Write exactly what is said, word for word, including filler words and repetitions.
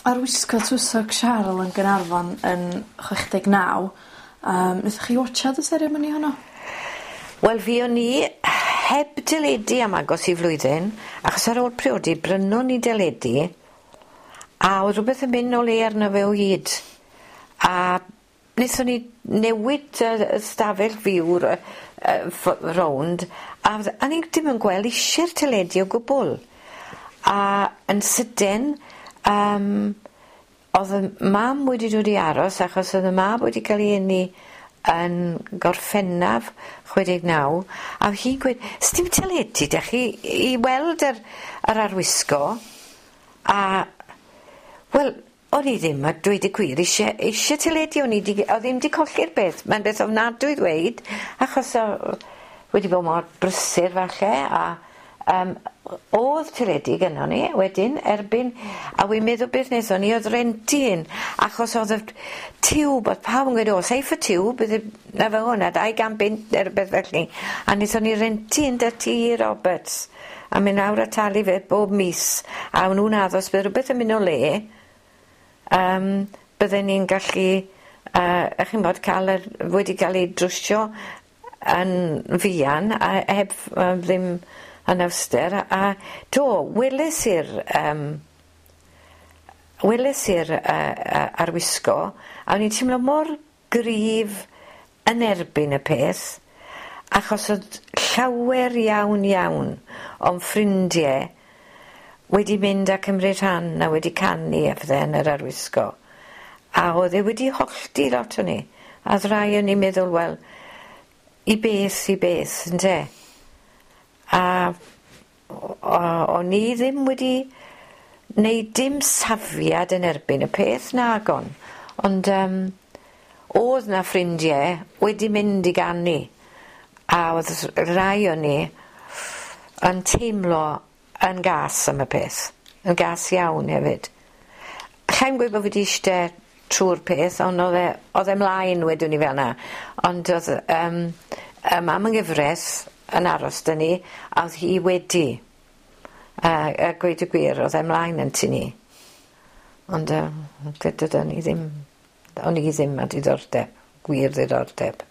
Arwisgo Twsog Siarl yn Gaernarfon yn chwech deg naw yym nethoch chi watsiad y seremoni honno? Wel fuon ni heb deledu am agos i flwyddyn achos ar ôl priodi brynon ni deledu a o'dd rwbeth yn myn' o le arno fe o hyd a nethon ni newid yr y stafell fyw ry- yy ffo- rownd a fdd- a ni dim yn gweld isie'r teledu o gwbwl a yn sydyn yym o'dd 'yn mam wedi dod i aros achos o'dd y mab wedi ca'l 'i eni yn Gorffennaf chwe deg naw a o'dd hi'n gweud sdim teledu 'dach chi i weld yr yr arwisgo a wel o'n i ddim a dweud y gwir isie isie teledu o'n i 'di o'dd ddim 'di colli'r beth mae'n beth ofnadwy ddweud achos o- wedi bod mor brysur falle a yym o'dd teledu gynnon ni wedyn erbyn a wi'n meddwl beth nethon ni o'dd rentu un achos o'dd y tiwb o'dd pawb yn gweud o seifft y tiwb bydde 'na fe o 'na dau gan bunt ne' rwbeth felly a nethon ni rentu un 'dy Tee Roberts a myn' lawr a talu fe bob mis a o'n nw'n addo os bydde rwbeth yn myn' o le yym bydden ni'n gallu yy 'ych chi'n bod ca'l yr wedi ga'l ei drwsio yn fuan a heb ff- yy ddim anawster a do weles i'r yym weles i'r yy yy arwisgo a o'n i'n timlo mor gryf yn erbyn y peth achos o'dd llawer iawn iawn o'n ffrindie wedi mynd a cymryd rhan a wedi canu a pethe yn yr arwisgo a o'dd e wedi hollti lot o ni a o'dd rai o'n i'n meddwl wel i beth i beth ynte? A o- o- o'n i ddim wedi neud dim safiad yn erbyn y peth nagon ond yym o'dd 'na ffrindie wedi mynd i ganu a o'dd rai o ni yn teimlo yn gas am y peth yn gas iawn hefyd. Allai'm gweud bo' fi 'di iste trw'r peth on' o'dd e o'dd e mlaen wedwn ni fel 'na ond o'dd yym yy mam yng ngyfres yn aros 'dy ni a o'dd hi wedi a a gweud y gwir o'dd e mlaen yn tŷ ni. Ond yym dydan ni ddim o'n i ddim â diddordeb gwir ddiddordeb.